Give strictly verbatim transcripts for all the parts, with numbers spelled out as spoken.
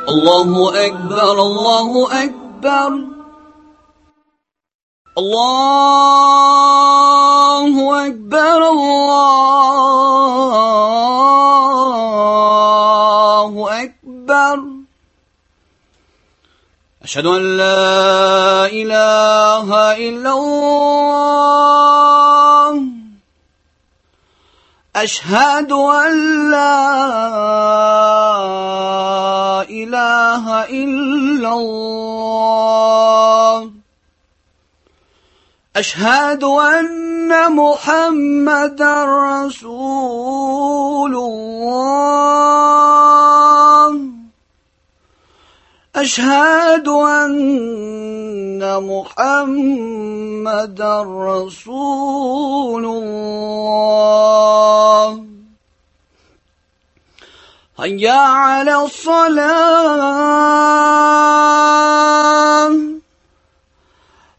الله أكبر الله أكبر الله أكبر الله أكبر أشهد أن لا إله إلا الله أشهد أن لا إله إلا الله أشهد أن محمدا رسول الله أشهد أن محمدا رسول الله هيا على الصلاة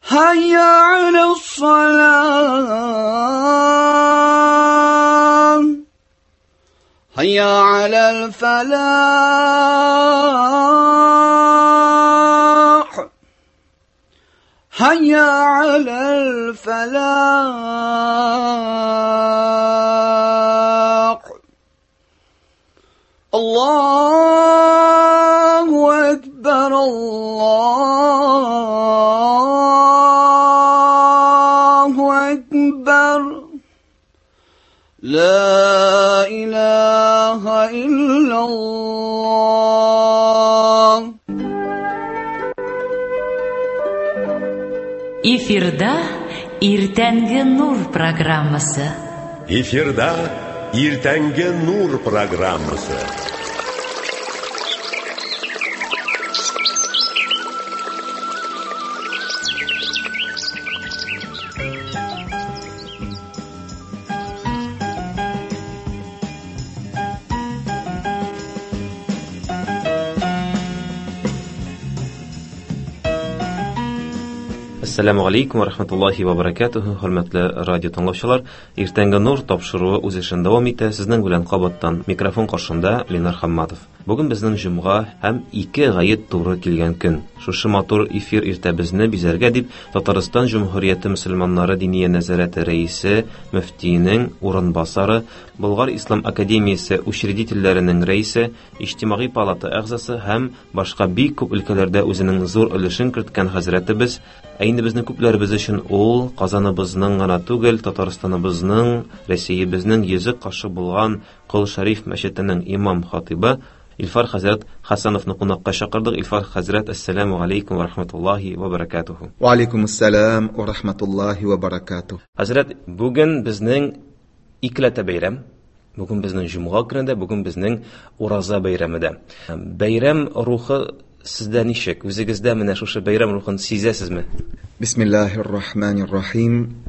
هيا على الصلاة هيا على الفلاح هيا على الفلاح الله أكبر الله أكبر لا إله إلا الله. Эфирда Иртәнге Нур программасы. Эфирда Иртәнге Нур программасы. Ассаламу алейкум ва рахматуллахи ва баракатуху, хөрмәтле радио тыңлаучылар. Иртәнге Нур тапшыруы үз эшен дәвам итә. Сезнең белән кабаттан микрофон каршында Ленар Хамматов. Бүген безнең җомга һәм ике гает туры килгән көн. Шушы матур эфир иртәбезне бизәргә дип Татарстан Җөмһүрияте мөселманнары диния нәзарәте рәисе, мөфтиенең урынбасары, Болгар Ислам академиясе учредительләренең рәисе, Иҗтимагый палата әгъзасы һәм башка бик күп өлкәләрдә үзенең зур өлешен керткән хәзрәтебез, ә инде безнең күпләребез өчен ул Казаныбызның гына түгел, Татарстаныбызның, Рәсәебезнең йөзе кашы булган Кол Шәриф мәчетенең имам хатибы Илфар хәзрәт Хасановны кунакка чакырдык. Илфар хәзрәт, ассаламу алейкум ва рахматуллахи ва баракатуху. Ва алейкум ассалам ва рахматуллахи ва баракатуху. Хәзрәт, бүген безнең икеләтә бәйрәм. Бүген безнең җомга көне дә, бүген безнең ураза бәйрәме дә. Бәйрәм рухы сездә ничек? Үзегездә менә шушы бәйрәм рухын сизәсезме? Бисмиллахир рахманир рахим.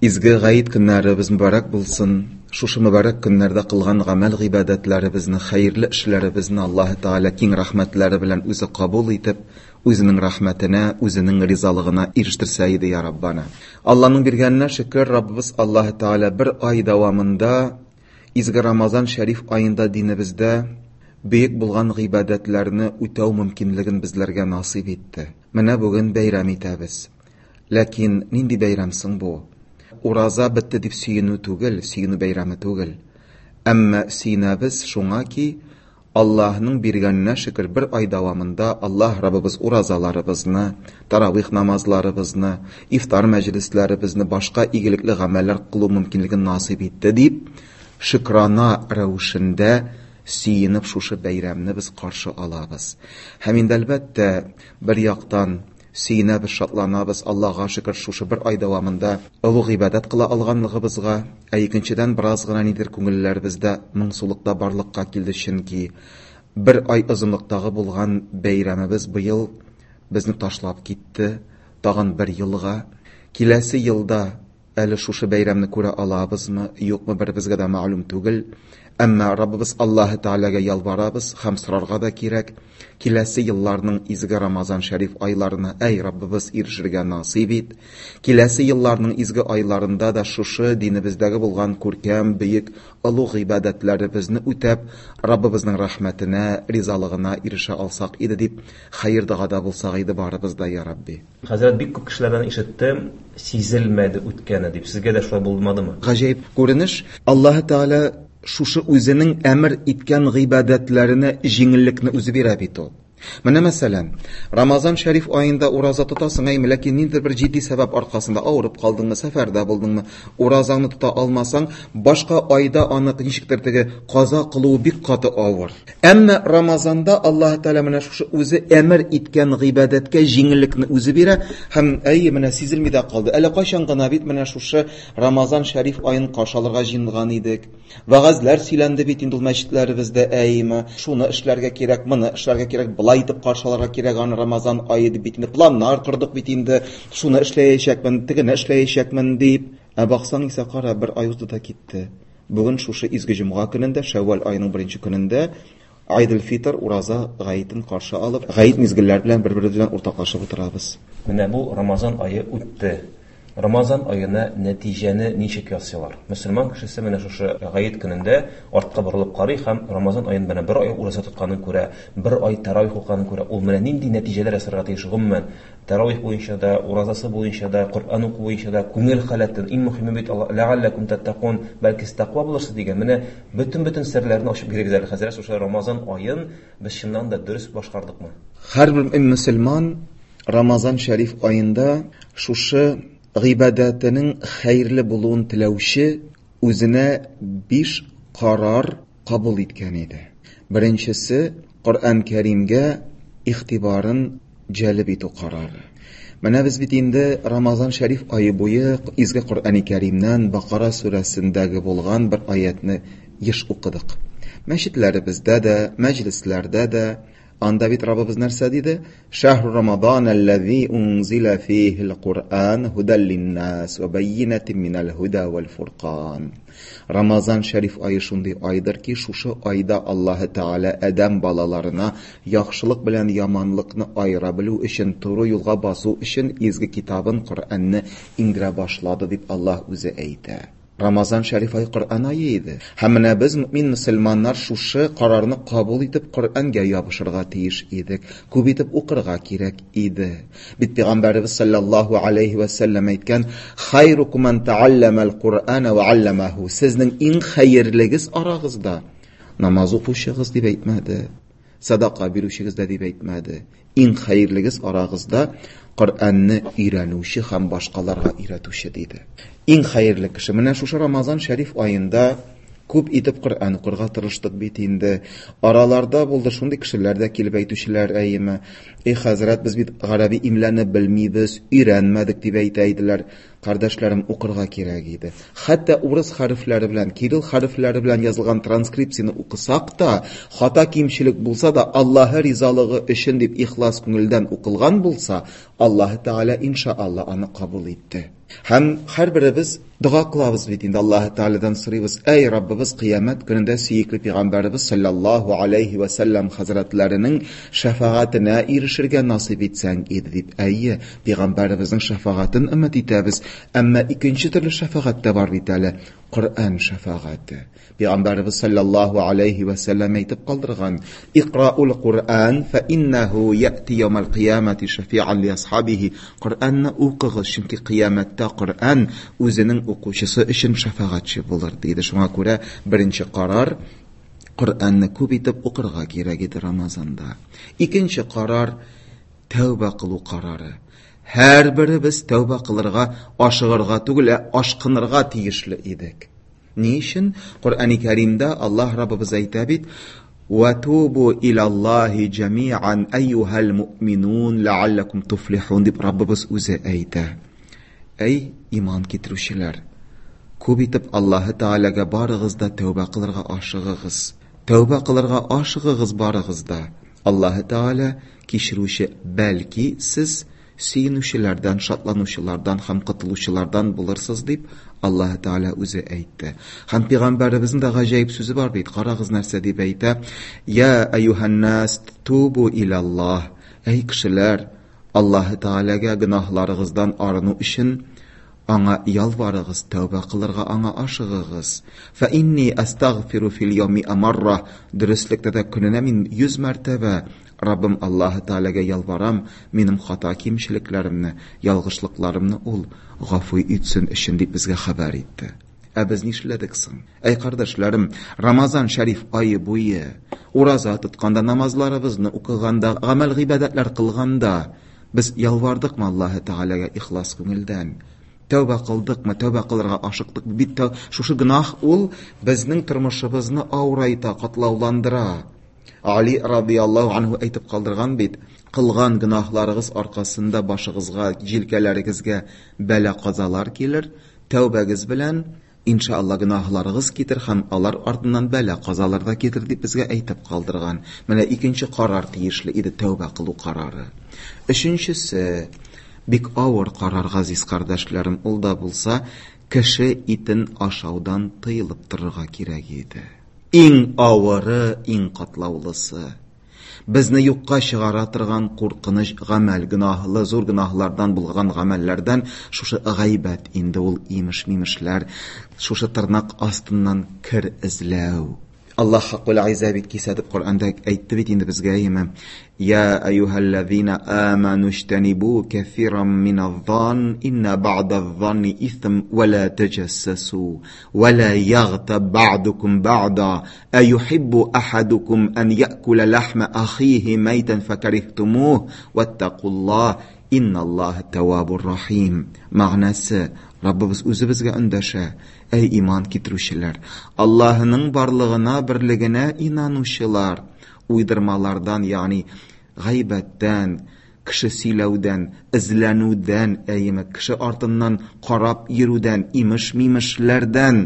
Изге гает көннәребез мөбарәк булсын. Шушы мөбарәк көннәрдә кылган гамәл гыйбадәтләребезне, хәерле эшләребезне Аллаһ Тәгалә киң рәхмәтләре белән үзе кабул итеп, үзенең рәхмәтенә, үзенең ризалыгына ирештерсә иде, я Раббана. Аллаһның биргәненә шөкер, Раббыбыз Аллаһ Тәгалә бер ай дәвамында изге Рамазан шәриф аенда динебездә бөек булган гыйбадәтләрне үтәү мөмкинлеген безләргә насыйп итте. Менә бүген бәйрәм итәбез. Ләкин нинди бәйрәм соң бу? Ураза бетте дип сөенү түгел, сөенү бәйрәме түгел. Әмма сөенәбез шуңа ки, Аллаһның биргәненә шөкер бер ай дәвамында Аллаһ Раббыбыз уразаларыбызны, таравих намазларыбызны, ифтар мәҗлесләребезне, башка игелекле гамәлләр кылу мөмкинлеген насыйп итте дип, шөкрана рәвешендә сөенеп шушы бәйрәмне без каршы алабыз. Һәм инде әлбәттә, бер яктан сөенәбез, шатланабыз, Аллаһга шөкер шушы бер ай дәвамында олуг гыйбадәт кыла алганлыгыбызга, ә икенчедән бераз гына нидер күңелләребездә моңсулык та барлыкка килде, чөнки бер ай озынлыктагы булган бәйрәмебез быел безне ташлап китте, тагын бер елга. Киләсе елда әле шушы бәйрәмне күрә алабызмы, юкмы, беребезгә дә мәгълүм түгел. Әмма Раббыбыз Аллаһы Тәгаләгә ялварабыз һәм сорарга да кирәк. Киләсе елларның изге Рамазан шәриф айларына, әй Раббыбыз, ирешергә насыйп ит. Киләсе елларның изге айларында да шушы динебездәге булган күркәм, бөек, олуг гыйбадәтләребезне үтәп, Раббыбызның рәхмәтенә, ризалыгына ирешә алсак иде дип, хәер догада булсак иде барыбыз да, я Рабби. Хәзрәт, бик күп кешеләрдән ишеттем, сизелмәде үткәне дип. Сезгә дә шулай булмадымы? Гаҗәеп күренеш. Аллаһы Тәгалә шушы үзенең әмер иткән гыйбадәтләренә җиңеллекне үзе бирә бит ул. Менә мәсәлән, Рамазан шәриф аенда ураза тотасың, әйме, ләкин ниндидер бер җитди сәбәп аркасында авырып калдыңмы, сәфәрдә булдыңмы, уразаңны тота алмасаң, башка айда аны ничектер теге каза кылуы бик каты авыр. Әмма Рамазанда Аллаһ Тәгалә менә шушы үзе әмер иткән гыйбадәткә җиңеллекне үзе бирә һәм әйе, менә сизелми дә калды. Әле кайчан гына бит менә шушы Рамазан шәриф аен каршы алырга җыенган идек. Вәгазьләр сөйләнде бит инде ул мәчетләребездә, әйеме, шуны эшләргә кирәк, моны эшләргә кирәк, былай итеп каршы алырга кирәк аны Рамазан ае дип бит инде планнар кордык бит инде, шуны эшләячәкмен, тегене эшләячәкмен дип. Ә баксаң исә кара, бер ай узды да китте. Бүген шушы изге җомга көнендә, Шәүвәл аеның беренче көнендә Айдел Фитр ураза гаетен каршы алып, гает мизгелләр белән бер-беребез белән уртаклашып утырабыз. Менә бу Рамазан ае үтте. Рамазан аена нәтиҗәне ничек ясыйлар? Мөселман кешесе менә шушы гает көнендә артка борылып карый һәм Рамазан аен менә бер ай ураза тотканын күрә, бер ай таравих укыганын күрә. Ул менә нинди нәтиҗәләр ясарга тиеш гомумән? Таравих буенча да, уразасы буенча да, Коръән уку буенча да, күңел халәтен, иң мөһиме бит Алла, ләгалләкум таттакун, бәлки сез тәкъва булырсыз дигән. Менә бөтен-бөтен серләрне ачып бирегез әле, хәзрәт, шушы Рамазан аен без чыннан да дөрес башкардыкмы? Һәрбер мөселман Рамазан шәриф аенда шушы гыйбадәтенең хәерле булуын теләүче үзенә биш карар кабул иткән иде. Беренчесе Коръән Кәримгә игътибарын җәлеп итү карары. Менә без бит инде Рамазан шәриф ае буе изге Коръән Кәримнән Бакара сүрәсендәге булган бер аятны еш укыдык. Мәчетләребездә дә, мәҗлесләрдә дә анда бит Раббыбыз нәрсә диде? Шәһру Рамадан аллази унзила фихил Куръан һудал линнас ва байинатин минал һуда вал фуркан. Рамазан шәриф ае шундый айдыр ки, шушы айда Аллаһы Тәгалә адәм балаларына яхшылык белән яманлыкны аера белү өчен, туры юлга басу өчен изге китабын Коръәнне иңдерә башлады дип Аллаһ үзе әйтә. Рамазан шәриф ай Коръән ае иде. Һәм менә без мөмин мөселманнар шушы карарны кабул итеп Коръәнгә ябышырга тиеш идек. Күп итеп укырга кирәк иде. Бит Пәйгамбәребез саллаллаһу алейхи ва саллям әйткән: Хайрукум ман таалламал Куръана ва алламаху. Сезнең иң хәерлегез арагызда намаз укучыгыз дип әйтмәде, садака бирүчегез дә дип әйтмәде. Иң хәерлегез арагызда Коръәнне өйрәнүче һәм башкаларга өйрәтүче диде. Иң хәерле кеше. Менә шушы Рамазан шәриф аенда күп итеп Коръән укырга тырыштык бит инде. Араларда булды шундый кешеләр дә килеп әйтүчеләр, әйеме: Эй хәзрәт, без бит гарәби имләне белмибез, өйрәнмәдек дип әйтә иделәр. Кардәшләрем, укырга кирәк иде. Хәтта урыс хәрефләре белән, кирилл хәрефләре белән язылган транскрипцияне укысак та, хата кимчелек булса да, Аллаһы ризалыгы өчен дип ихлас күңелдән укылган булса, Аллаһы Тәгалә иншаалла аны кабул итте. Һәм һәрберебез дога кылабыз бит инде, Аллаһы Тәгаләдән сорыйбыз: Әй Раббыбыз, кыямәт көнендә сөекле пәйгамбәребез саллаллаһу алейхи ва саллям хәзрәтләренең шәфәгатенә ирешергә насыйп итсәң иде дип. Әйе, пәйгамбәребезнең шәфәгатен өмет итәбез. Әмма икенче төрле шәфәгать тә бар бит әле, Коръән шәфәгате. Пәйгамбәребез саллаллаһу алейхи ва саллям әйтеп калдырган: Икраул Куръан фа иннаху яти яумал кыямати шафиан ли асхабихи. Коръәнне укыгыз, чөнки кыямәттә Коръән үзенең укучысы өчен шәфәгатьче булыр диде. Шуңа күрә беренче карар Коръәнне күп итеп укырга кирәк иде Рамазанда. Икенче карар тәүбә кылу карары. Һәрберебез тәүбә кылырга ашыгырга түгел, ә ашкынырга тиешле идек. Ни өчен? Коръәни Кәримдә Аллаһ Раббыбыз әйтә бит: Ва тубу илаллаһи джамиан айюһал муъминун лааллакум туфлихун дип Раббыбыз үзе әйтә. Әй иман китерүчеләр, күп итеп Аллаһы Тәгаләгә барыгыз да тәүбә кылырга ашыгыгыз. Тәүбә кылырга ашыгыгыз барыгыз да. Аллаһы Тәгалә кичерүче, бәлки сез сөенүчеләрдән, шатланучылардан һәм котылучылардан булырсыз дип Аллаһ Тәгалә үзе әйтте. Һәм пәйгамбәребезнең дә гаҗәеп сүзе бар бит. Карагыз нәрсә дип әйтә: "Я әйюһән-нас тубу илаллаһ." Әй кешеләр, Аллаһ Тәгаләгә гөнаһларыгыздан арыну өчен аңа ялварыгыз, тәүбә кылырга аңа ашыгыгыз. Фа инни астагфиру фил яуми амарра. Дөреслектә дә көненә мин йөз мәртәбә Раббым Аллаһ Тәгаләгә ялварам, минем хата кимчелекләремне, ялгышлыкларымны ул гафу итсен өчен дип безгә хәбәр итте. Ә без нишләдек соң? Әй кардәшләрем, Рамазан шәриф ае буе ураза тотканда, намазларыбызны укыганда, гамәл гыйбадәтләр кылганда без ялвардыкмы Аллаһ Тәгаләгә ихлас күңелдән? Тәүбә кылдыкмы? Тәүбә кылырга ашыктык. Бит шушы гөнаһ ул безнең тормышыбызны авырайта, катлауландыра. Али радияллаһу анһу әйтеп калдырган бит: кылган гөнаһларыгыз аркасында башыгызга, җилкәләрегезгә бәла-казалар килер, тәүбәгез белән иншалла гөнаһларыгыз китер һәм алар артыннан бәла-казалар да китер дип безгә әйтеп калдырган. Менә икенче карар тиешле иде, тәүбә кылу карары. Өченчесе бик авыр карар, газиз кардәшләрем, ул да булса кеше итен ашаудан тыелып торырга кирәк иде. Иң авыры, иң катлаулысы. Безне юкка чыгара торган куркыныч гамәл, гөнаһлы, зур гөнаһлардан булган гамәлләрдән шушы гайбәт инде ул, имеш-мимешләр, шушы тырнак астыннан кер эзләү. Аллаһ Хаккул Айза бит кисәтеп Коръәндә әйтте бит инде безгә, әйеме? Я әйюһәлләзина аману иҗтанибу кәсиран миназ-зан инна ба'даз-занни исм ва ла таҗассасу ва ла ягтаб ба'дукум ба'да аюхиббу ахадукум ан яъкула лахма ахихи майтан факарихтумух ваттакуллаһ инналлаһа таввабур рахим. Мәгънәсе, Раббыбыз үзе безгә эндәшә: әй иман китерүчеләр, Аллаһының барлыгына, берлегенә инанучылар, уйдырмалардан, ягъни гайбәттән, кеше сөйләүдән, эзләнүдән, әйеме, кеше артыннан карап йөрүдән, имеш-мимешләрдән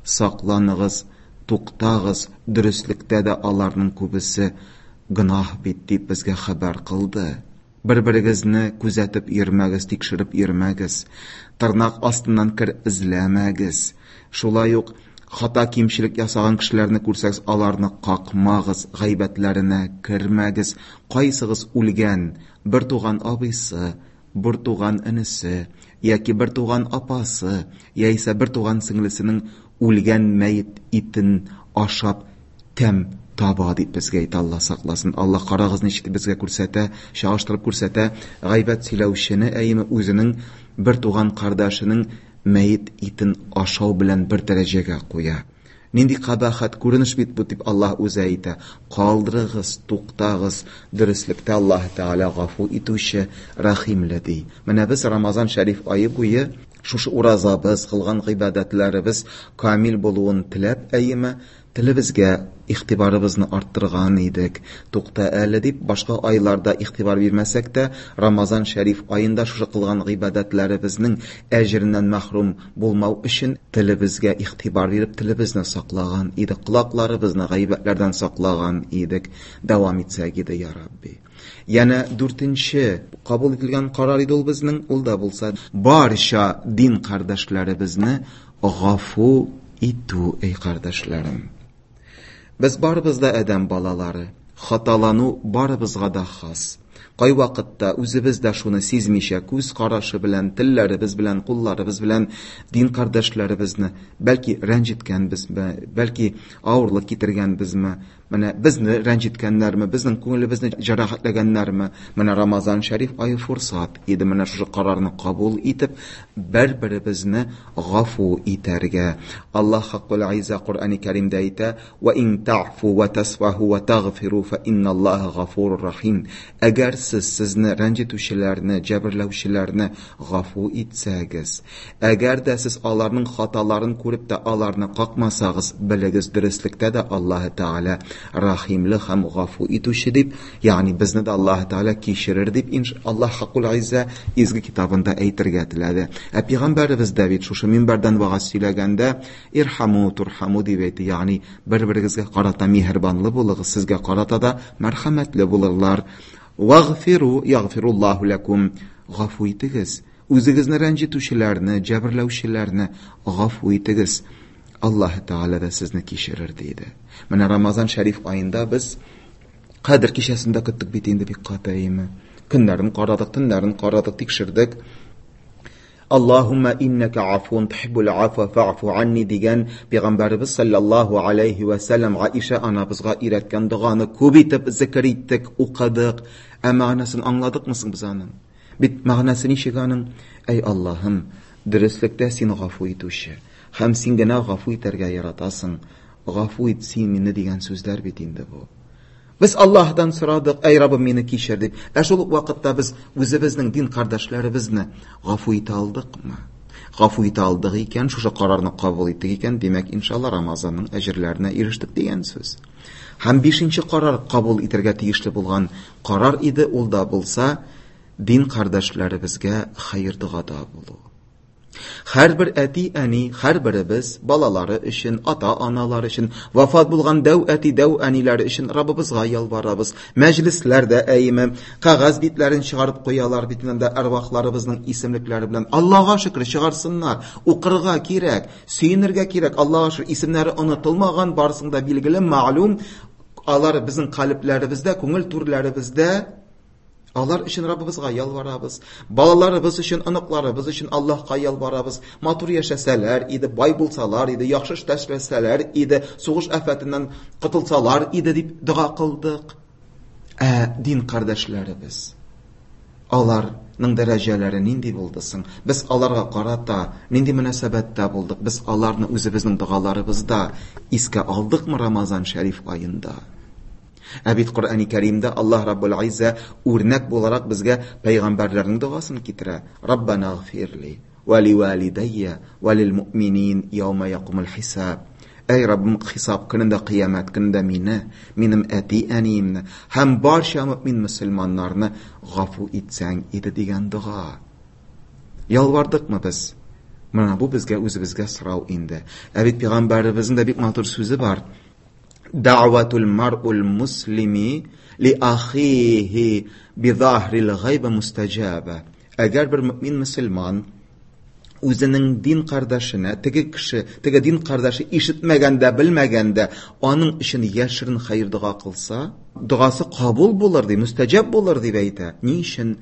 сакланыгыз, туктагыз, дөреслектә дә аларның күбесе гөнаһ бит дип безгә хәбәр кылды. Бер-берегезне күзәтеп йөрмәгез, тикшереп йөрмәгез, тырнак астыннан кер эзләмәгез. Шулай ук хата кимчелек ясаган кешеләрне күрсәгез, аларны какмагыз, гайбәтләренә кермәгез. Кайсыгыз үлгән бер туган абыйсы, бер туган энесе, яки бер туган апасы, яисә бер туган сеңлесенең үлгән мәет итен ашап тәм таба дип безгә әйтә, Алла сакласын. Алла карагыз ничек безгә күрсәтә, чагыштырып күрсәтә, гайбәт сөйләүчене, әйеме, үзенең бер туган кардәшенең мәет итен ашау белән бер дәрәҗәгә куя. Нинди кабахәт күренеш бит бу дип Аллаһ үзе әйтә. Калдырыгыз, туктагыз, дөреслектә Аллаһ Тәгалә гафу итүче, рәхимле ди. Менә без Рамазан шәриф ае буе шушы уразабыз, кылган гыйбадәтләребез камил булуын теләп, әйеме, телебезгә игътибарыбызны арттырган идек. Тукта әле дип башка айларда игътибар бирмәсәк тә, Рамазан шәриф аенда шушы кылган гыйбадәтләребезнең әҗереннән мәхрүм булмау өчен телебезгә игътибар биреп, телебезне саклаган идек, колакларыбызны гайбәтләрдән саклаган идек. Дәвам итсәк иде, я Рабби. Яна дүртенче кабул ителгән карар иде ул безнең, ул да булса барча дин кардәшләребезне гафу итү, эй кардәшләрем. Без барыбыз да адәм балалары, хаталану барыбызга да хас. Кай вакытта үзебез дә шуны сизмичә, күз карашы белән, телләребез белән, кулларыбыз белән дин кардәшләребезне бәлки рәнҗеткәнбезме, бәлки авырлык китергәнбезме, менә безне рәнҗеткәннәрме, безнең күңелебезне җәрәхәтләгәннәрме, менә Рамазан шәриф ае фурсат иде менә шушы карарны кабул итеп, бер-беребезне гафу итәргә. Аллаһ Хаккул Айза Коръәни Кәримдә әйтә: "Ва ин та'фу ва тасфаху ва тагфиру фа инналлаһа гафурur рахим." Әгәр сез сезне рәнҗетүчеләрне, җәберләүчеләрне гафу итсәгез, әгәр дә сез аларның хаталарын күреп тә аларны какмасагыз, белегез, дөреслектә дә Аллаһ Тәгалә рахимле һәм гафу итүче дип, ягъни безне дә Аллаһ Тәгалә кичерер дип Аллаһ Хаккул Айза изге китабында әйтергә теләде. Ә пәйгамбәребез дә бит шушы минбәрдән вагаз сөйләгәндә ирхаму турхаму дип әйтте, ягъни бер-берегезгә карата миһербанлы булыгыз, сезгә карата да мәрхәмәтле булырлар. Вагфиру ягфируллаһу лакум. гафу итегез. Үзегезне рәнҗетүчеләрне, җәберләүчеләрне гафу итегез. Аллаһ Тәгалә дә сезне кичерер, диде. Менә Рамазан шәриф аенда без Кадер кичәсендә көттек бит инде бик каты, әйеме? Көннәрен карадык, төннәрен карадык, тикшердек. Аллаһумма иннәкә афун тухиббул афва фа'фу анни дигән Пәйгамбәребез саллаллаһу алейхи ва саллям Аиша анабызга өйрәткән доганы күп итеп зикер иттек, укыдык. Ә мәгънәсен аңладыкмы соң без аның? Бит мәгънәсе ничек аның? Әй Аллаһым, дөреслектә син гафу итүче һәм син генә гафу итәргә яратасың. Гафу ит син мине дигән сүзләр бит инде бу. Без Аллаһтан сорадык, әй Раббым, мине кичер дип. Ә шул ук вакытта без үзебезнең дин кардәшләребезне гафу итә алдыкмы? Гафу итә алдык икән, шушы карарны кабул иттек икән, димәк, иншалла Рамазанның әҗерләренә ирештек дигән сүз. Һәм бишенче карар кабул итәргә тиешле булган карар иде, ул да булса дин кардәшләребезгә хәер догада булу. Һәрбер әти-әни, һәрберебез балалары өчен, ата-аналар өчен, вафат булган дәү әти, дәү әниләре өчен Раббыбызга ялварабыз. Мәҗлесләрдә әйеме кәгазь битләрен чыгарып куялар бит инде әрвахларыбызның исемлекләре белән. Аллаһка шөкер, чыгарсыннар. Укырга кирәк, сөенергә кирәк. Аллаһка шөкер, исемнәре онытылмаган, барысын да билгеле, мәгълүм. Алар безнең калебләребездә, күңел түрләребездә. Алар өчен Раббыбызга ялварабыз. Балаларыбыз өчен, оныкларыбыз өчен Аллаһка ялварабыз. Матур яшәсәләр иде, бай булсалар иде, яхшы эштә эшләсәләр иде, сугыш афәтеннән котылсалар иде дип дога кылдык. Ә дин кардәшләребез, аларның дәрәҗәләре нинди булды соң? Без аларга карата нинди мөнәсәбәттә булдык? Без аларны үзебезнең догаларыбызда искә алдыкмы Рамазан шәриф аенда? Ә бит Коръәни Кәримдә Аллаһ Раббул Иззә үрнәк буларак безгә пәйгамбәрләрнең догасын китерә. Раббана гфирли ва ли валидайя ва лил муъминин яума якумул хисаб. Әй Раббым, хисап көнендә, кыямәт көнендә мине, минем әти-әниемне һәм барча мөмин мөселманнарны гафу итсәң иде дигән дога. Ялвардыкмы без? Менә бу безгә үзебезгә сорау инде. Ә бит пәйгамбәребезнең дә бик матур сүзе бар. Дa'ватул мар'ул муслими ли ахихи би заһрил гайб мустаҗаба. Әгәр бер мөмин мөселман үзенең дин кардәшенә, теге кеше, теге дин кардәше ишетмәгәндә, белмәгәндә, аның өчен яшерен хәер дога кылса, догасы кабул булыр ди, мустаҗаб булыр дип әйтә. Ни өчен?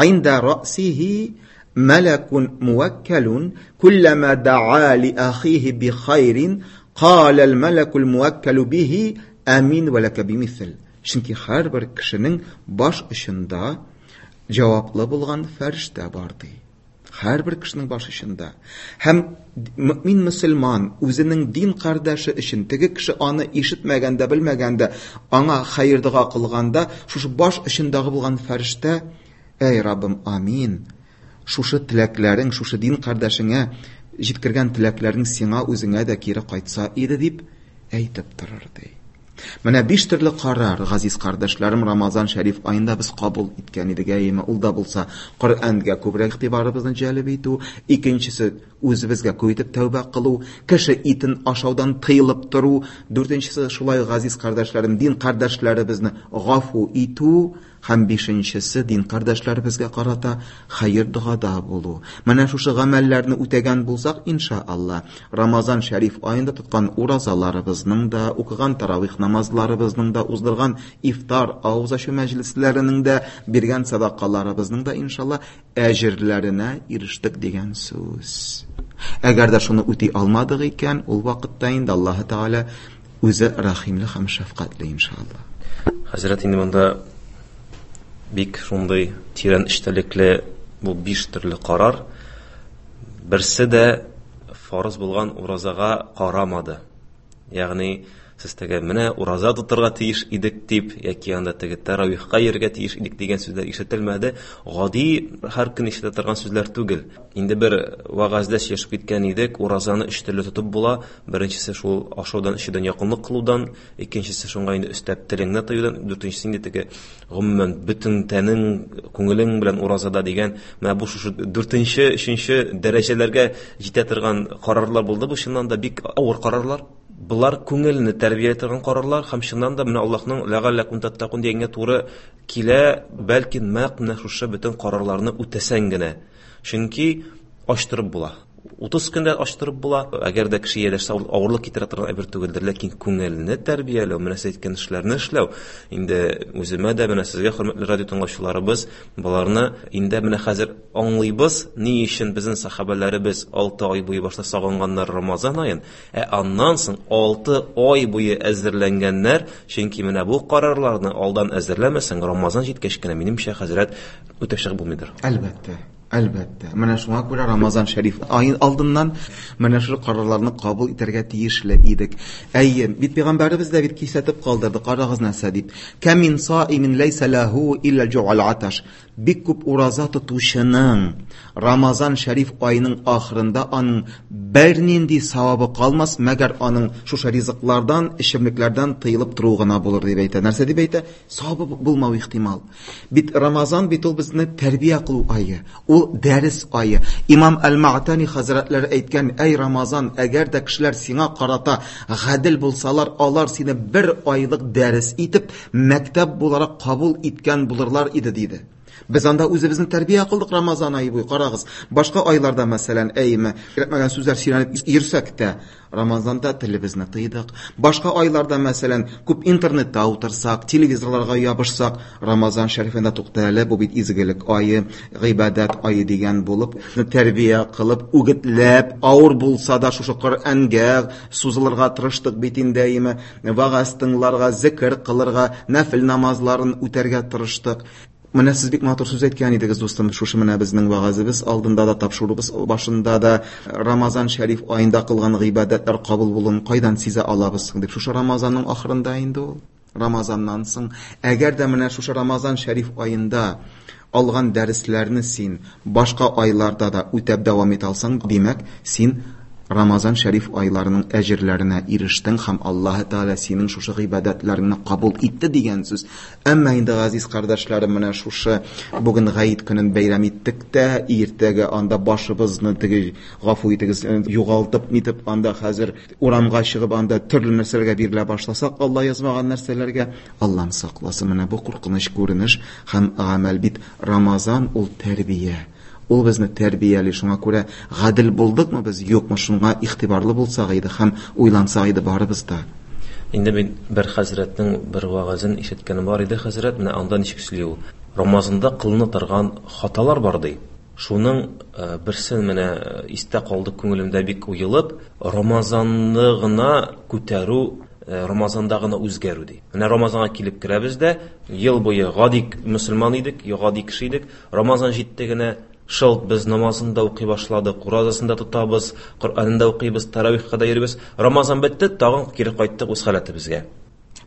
Инда рәсихи малакун муаккалун куллама да'a ли ахихи би хайрин قال الملك الموكل به آمين ولك بمثل. Чөнки һәрбер кешенең баш очында җаваплы булган фәрештә бар ди. Һәрбер кешенең баш очында. Һәм мөмин мөселман үзенең дин кардәше өчен теге кеше аны ишетмәгәндә, белмәгәндә, аңа хәер дога кылганда, шушы баш очындагы булган фәрештә: "Әй Раббым, амин. Шушы теләкләрең, шушы дин кардәшеңә җиткергән теләкләрең сиңа үзеңә дә кире кайтса иде" дип әйтеп торыр ди. Менә биш төрле карар, газиз кардәшләрем, Рамазан шәриф аенда без кабул иткән идек, әйеме? Ул да булса Коръәнгә күбрәк игътибарыбызны җәлеп итү, икенчесе үзебезгә күп итеп тәүбә кылу, кеше итен ашаудан тыелып тору, дүртенчесе шулай газиз кардәшләрем, дин кардәшләребезне гафу итү һәм бишенчесе дин кардәшләребезгә карата хәер догада булу. Менә шушы гамәлләрне үтәгән булсак, иншаалла, Рамазан шәриф аенда тоткан уразаларыбызның да, укыган таравих намазларыбызның да, уздырган ифтар, авыз ачу мәҗлесләренең дә, биргән садакаларыбызның да иншалла әҗерләренә ирештек дигән сүз. Әгәр дә шуны үти алмадык икән, ул вакытта инде Аллаһ Тәгалә үзе рәхимле һәм шәфкатьле иншалла. Хәзрәт, инде монда бик шундый тирән эчтәлекле бу биш төрле карар. Берсе дә фарыз булган уразага карамады. Ягъни сез теге менә ураза тотырга тиеш идек дип, яки анда теге таравихка йөрергә тиеш идек дигән сүзләр ишетелмәде. Гади һәр көн ишетә торган сүзләр түгел. Инде бер вәгазьдә сөйләшеп киткән идек, уразаны өч төрле тотып була. Беренчесе шул ашаудан, эчүдән якынлык кылудан, икенчесе шуңа инде өстәп телеңне тыюдан, дүртенчесе инде теге гомумән бөтен тәнең, күңелең белән уразада дигән. Менә бу шушы дүртенче, өченче дәрәҗәләргә җитә торган карарлар булды. Бу чыннан да бик авыр карарлар. Булар күңелне тәрбияли торган карарлар һәм чыннан да менә Аллаһның ләгалләкум таттакун дигәнгә туры килә, бәлки нәкъ менә шушы бөтен карарларны үтәсәң генә. Чөнки ачтырып була. Утыз көндә ачтырып була. Әгәр дә кеше ияләшсә, ул авырлык китерә торган әйбер түгелдер, ләкин күңелне тәрбияләү, менә сез әйткән эшләрне эшләү, инде үземә дә, менә сезгә, хөрмәтле радио тыңлаучыларыбыз, боларны инде менә хәзер аңлыйбыз, ни өчен безнең сахабәләребез алты ай буе башта сагынганнар Рамазан аен, ә аннан соң алты ай буе әзерләнгәннәр, чөнки менә бу карарларны алдан әзерләмәсәң, Рамазан җиткәч кенә, минемчә, хәзрәт, үтеп чыгып булмыйдыр. Әлбәттә. Әлбәттә. Менә шуңа күрә Рамазан шәриф аен алдыннан менә шул карарларны кабул итәргә тиешле идек. Әйе, бит пәйгамбәребез дә бит кисәтеп калдырды. Карагыз нәрсә дип. Кам мин саимин ләйсә ләһу илля җу'ал аташ. Бик күп ураза тотучының Рамазан шәриф аеның ахырында аның бернинди савабы калмас, мәгәр аның шушы ризыклардан, эчемлекләрдән тыелып торуы гына булыр дип әйтә. Нәрсә дип әйтә? Савабы булмау ихтимал. Бит Рамазан бит ул безне тәрбия кылу ае, ул дәрес ае. Имам Әл-Мa'тани хәзрәтләре әйткән: "Әй Рамазан, әгәр дә кешеләр сиңа карата гадел булсалар, алар сине бер айлык дәрес итеп, мәктәп буларак кабул иткән булырлар иде", диде. Без анда үзебезне тәрбия кылдык Рамазан ае буе. Карагыз, башка айларда, мәсәлән, әйме, кирәкмәгән сүзләр сөйләнеп йөрсәк тә, Рамазанда телебезне тыйдык. Башка айларда, мәсәлән, күп интернетта утырсак, телевизорларга ябышсак, Рамазан шәрифендә тукта әле, бу бит изгелек ае, гыйбадәт ае дигән булып, тәрбия кылып, үгетләп, авыр булса да шушы Коръәнгә сузылырга тырыштык бит инде, әйме, вагаз тыңларга, зикр кылырга, нәфил намазларын үтәргә тырыштык. Менә сез бик матур сүз әйткән идегез, дустым, шушы менә безнең вагазыбыз алдында да, тапшыруыбыз башында да Рамазан шәриф аенда кылган гыйбадәтләр кабул булуын кайдан сизә алабыз дип. Шушы Рамазанның ахырында инде ул. Рамазаннан соң, әгәр дә менә шушы Рамазан шәриф аенда алган дәресләрне син башка айларда да үтәп дәвам итә алсаң, димәк, син Рамазан шәриф айларының әҗерләренә ирештең һәм Аллаһы Тәгалә синең шушы гыйбадәтләреңне кабул итте дигән сүз. Әмма инде, газиз кардәшләрем, менә шушы бүген гаит көнен бәйрәм иттек тә, иртәгә анда башыбызны теге, гафу итегез, югалтып нитеп, анда хәзер урамга чыгып, анда төрле нәрсәләргә бирелә башласак, Алла язмаган нәрсәләргә, Аллам сакласын, менә бу куркыныч күренеш һәм гамәл бит. Рамазан ул тәрбия. Ул безне тәрбияли, шуңа күрә гадел булдыкмы без, юкмы, шуңа игътибарлы булсак иде һәм уйлансак иде барыбыз да. Инде мин бер хәзрәтнең бер вагазын ишеткәнем бар иде, хәзрәт, менә анда ничек сөйли ул. Рамазанда кылына торган хаталар бар ди. Шуның, э, берсен менә истә калды күңелемдә бик уелып, Рамазанны гына күтәрү, э, Рамазанда гына үзгәрү ди. Менә Рамазанга килеп керәбез дә, ел буе гади мөселман идек, гади кеше идек. Рамазан җитте генә, шылт без намазын да укый башладык, уразасын да тотабыз, Коръәнен дә укыйбыз, таравихка да йөрибез. Рамазан бетте, тагын кире кайттык үз халәтебезгә.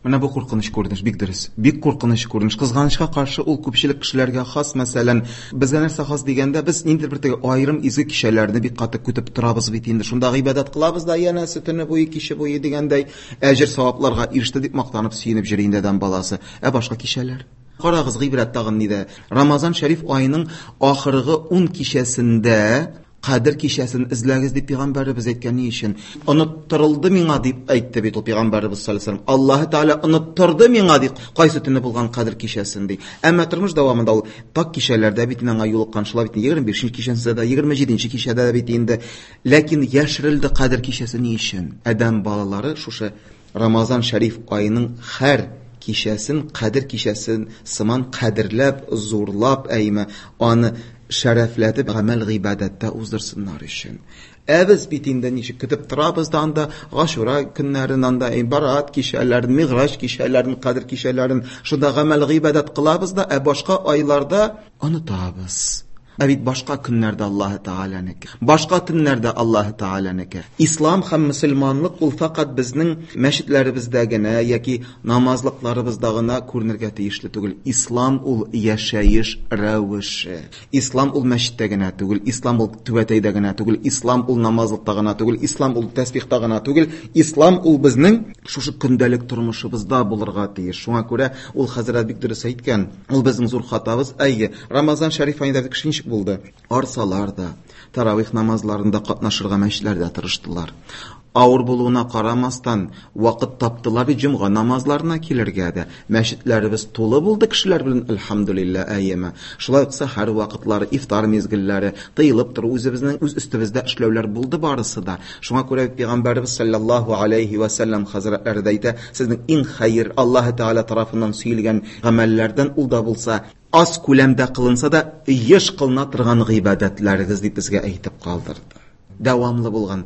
Менә бу куркыныч күренеш, бик дөрес. Бик куркыныч күренеш. Кызганычка каршы ул күпчелек кешеләргә хас, мәсәлән, безгә нәрсә хас дигәндә, без ниндидер бер теге аерым изге кичәләрне бик каты көтеп торабыз бит инде. Шунда гыйбадәт кылабыз да, янәсе төне буе, киче буе дигәндәй, әҗер савапларга иреште дип мактанып сөенеп йөри инде адәм баласы. Ә башка кичәләр? Карагыз, гыйбрәт тагын нидә? Рамазан шәриф аеның ахыргы ун кичәсендә Кадер кичәсен эзләгез дип пәйгамбәребез әйткән. Ни өчен? Оныттырылды миңа дип әйтте бит ул пәйгамбәребез саллаллаһу алейһи ва саллям. Аллаһы Тәгалә оныттырды миңа дип, кайсы төне булган Кадер кичәсен ди. Әмма тормыш дәвамында ул так кичәләрдә бит аңа юлыккан, шулай бит егерме бишенче кичәсендә дә, егерме җиденче кичәдә дә бит инде. Ләкин яшерелде Кадер кичәсе ни өчен? Адәм балалары шушы Рамазан шәриф аеның һәр кичәсен Кадер кичәсен сыман кадерләп, зурлап, әйме, аны шәрәфләтеп гамәл гыйбадәттә уздырсыннар өчен. Ә без бит инде ничек көтеп торабыз да анда Гашура көннәрен, анда Барат кичәләрен, Миграҗ кичәләрен, Кадер кичәләрен, шунда гамәл гыйбадәт кылабыз да, ә башка айларда онытабыз. Ә бит башка көннәрдә Аллаһы Тәгаләнеке, башка төннәрдә Аллаһы Тәгаләнеке. Ислам һәм мөселманлык ул фәкать безнең мәчетләребездә генә яки намазлыкларыбызда гына күренергә тиешле түгел. Ислам ул яшәеш рәвеше. Ислам ул мәчеттә генә түгел, ислам ул түбәтәйдә генә түгел, ислам ул намазлыкта гына түгел, ислам ул тәсбихта гына түгел. Ислам ул безнең шушы көндәлек тормышыбызда булырга тиеш. Шуңа күрә ул хәзрәт бик дөрес әйткән. Ул безнең зур хатабыз. Әйе, Рамазан шәриф аенда кеше ничек булды? Арсалар да, таравих намазларында катнашырга мәчетләрдә тырыштылар. Авыр булуына карамастан, вакыт таптылар бит җомга намазларына килергә дә. Мәчетләребез тулы булды кешеләр белән, әлхәмдүлилләһ, әйеме. Шулай ук сәхәр вакытлары, ифтар мизгелләре, тыелып тору, үзебезнең үз өстебездә эшләүләр булды барысы да. Шуңа күрә Пәйгамбәребез саллаллаһу алейхи ва саллям хәзрәтләре дә әйтә, сезнең иң хәер Аллаһ Тәгалә тарафыннан сөелгән гамәлләрдән ул да булса, аз күләмдә кылынса да, еш кылына торган гыйбадәтләрегез дип безгә әйтеп калдырды. Дәвамлы булган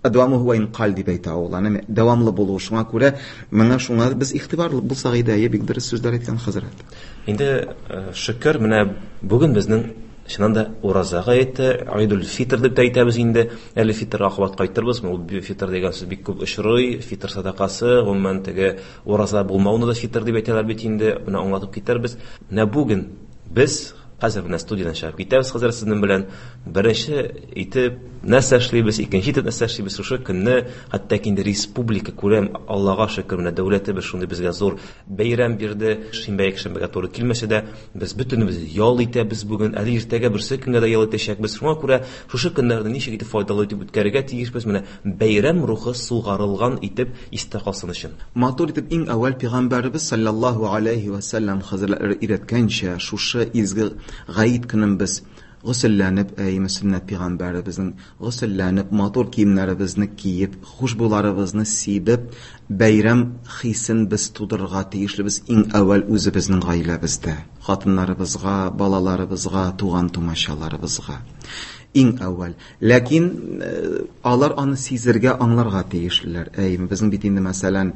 Адвамы хуа инқал дип әйтә ул. Аны дәвамлы булу. Шуңа күрә моңа шуңа без игътибарлы булсак иде, әйе, бик дөрес сүзләр әйткән хәзрәт. Инде шөкер, менә бүген безнең чыннан да ураза гаете, Айдул фитр дип тә әйтәбез инде. Әле фитрга кабат кайтырбыз. Ул фитр дигән сүз бик күп очрый. Фитр садакасы, гомумән теге ураза булмауны да фитр дип әйтәләр бит инде. Менә аңлатып китәрбез. Менә бүген без хәзер менә студиядан чыгып китәбез хәзер сезнең белән. Беренче итеп нәрсә эшлибез, икенче итеп нәрсә эшлибез шушы көнне, хәтта инде республика күләм, Аллага шөкер, менә дәүләтебез шундый безгә зур бәйрәм бирде. Шимбә якшәмбегә туры килмәсә дә, без бөтенебез ял итәбез бүген, әле иртәгә берсе көнгә дә ял итәчәкбез. Шуңа күрә шушы көннәрне ничек итеп файдалы итеп үткәрергә тиешбез, менә бәйрәм рухы сугарылган итеп истә калсын өчен. Матур итеп иң әүвәл Пәйгамбәребез саллаллаһу алейхи ва саллям хәзрәтләре өйрәткәнчә, шушы изге Гаит көнен без госелләнеп, әй, сөннәт пәйгамбәребезнең госелләнеп, матур киемнәребезне киеп, хушбуларыбызны сибеп, бәйрәм хисен без тудырырга тиешлебез иң әүвәл үзебезнең гаиләбездә, хатыннарыбызга, балаларыбызга, туган-тумачаларыбызга. Иң әүвәл. Ләкин алар аны сизергә, аңларга тиешлеләр. Әйме, безнең бит инде, мәсәлән,